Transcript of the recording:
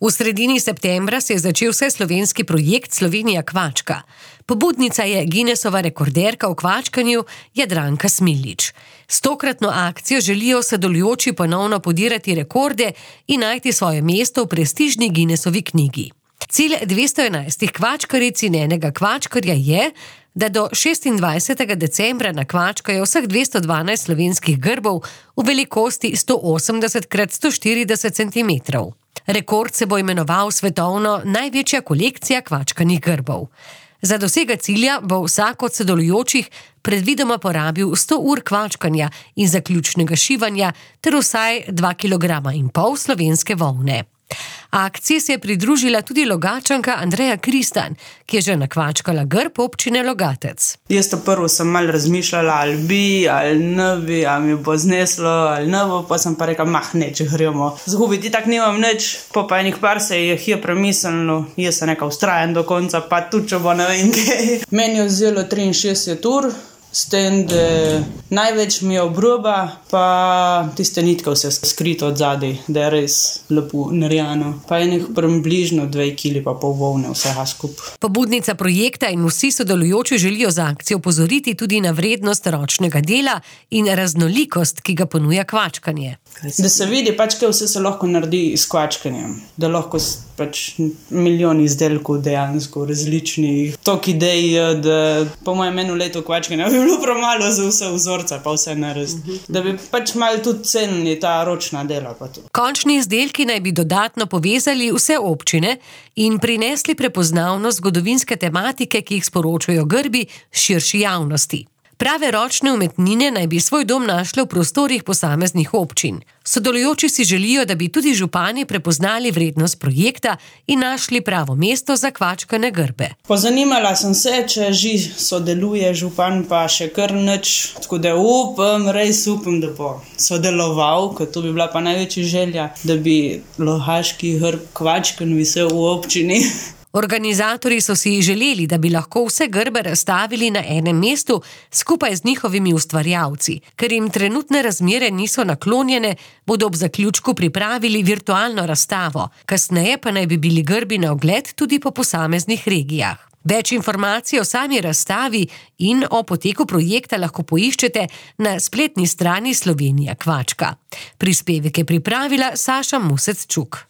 V sredini septembra se je začel vseslovenski projekt Slovenija kvačka. Pobudnica je Guinnessova rekorderka v kvačkanju Jadranka Smiljić. S tokratno akcijo želijo sodelujoči ponovno podirati rekorde in najti svoje mesto v prestižni Guinnessovi knjigi. Cilj 211 kvačkaric in enega kvačkarja je, da do 26. decembra nakvačkajo vseh 212 slovenskih grbov v velikosti 180x140 cm. Rekord se bo imenoval svetovno največja kolekcija kvačkanih grbov. Za dosega cilja bo vsak od sodelujočih predvidoma porabil 100 ur kvačkanja in zaključnega šivanja ter vsaj 2,5 kg slovenske volne. Akciji se je pridružila tudi Logatčanka Andreja Kristan, ki je že nakvačkala grb občine Logatec. Jaz prvo sem malo razmišljala, ali bi, ali ne bi, ali mi bo zneslo, ali ne bo, pa sem pa rekla, če gremo. Zgubiti tak nimam nič, pa enih par se je premislilo, jaz sem nekaj ustrajen do konca, pa tudi če bo ne vem kaj. Meni je vzelo 63 ur, s tem, da največ mi je obroba, pa tiste nitke vse skrito od zadaj, da je res lepo narejeno. Pa je približno 2,5 kg volne vsega skupaj. Pobudnica projekta in vsi sodelujoči želijo z akcijo opozoriti tudi na vrednost ročnega dela in raznolikost, ki ga ponuja kvačkanje. Da se vidi, kaj vse se lahko naredi s kvačkanjem. Da lahko milijon izdelkov dejansko različnih. Tok idej, da po mojem eno leto kvačkanja bi bilo premalo za vse vzorce, pa vse narediti. Da bi malo tudi cenili ta ročna dela. Končni izdelki naj bi dodatno povezali vse občine in prinesli prepoznavnost zgodovinske tematike, ki jih sporočajo grbi širši javnosti. Prave ročne umetnine naj bi svoj dom našle v prostorih posameznih občin. Sodelujoči si želijo, da bi tudi župani prepoznali vrednost projekta in našli pravo mesto za kvačkane grbe. Pozanimala sem se, če že sodeluje župan, pa še kar nič. Tako da res upam, da bo sodeloval, ker to bi bila pa največja želja, da bi logaški grb kvačkan visel v občini. Organizatorji so si želeli, da bi lahko vse grbe razstavili na enem mestu skupaj z njihovimi ustvarjalci. Ker jim trenutne razmere niso naklonjene, bodo ob zaključku pripravili virtualno razstavo. Kasneje pa naj bi bili grbi na ogled tudi po posameznih regijah. Več informacij o sami razstavi in o poteku projekta lahko poiščete na spletni strani Slovenija kvačka. Prispevek je pripravila Saša Musec-Čuk.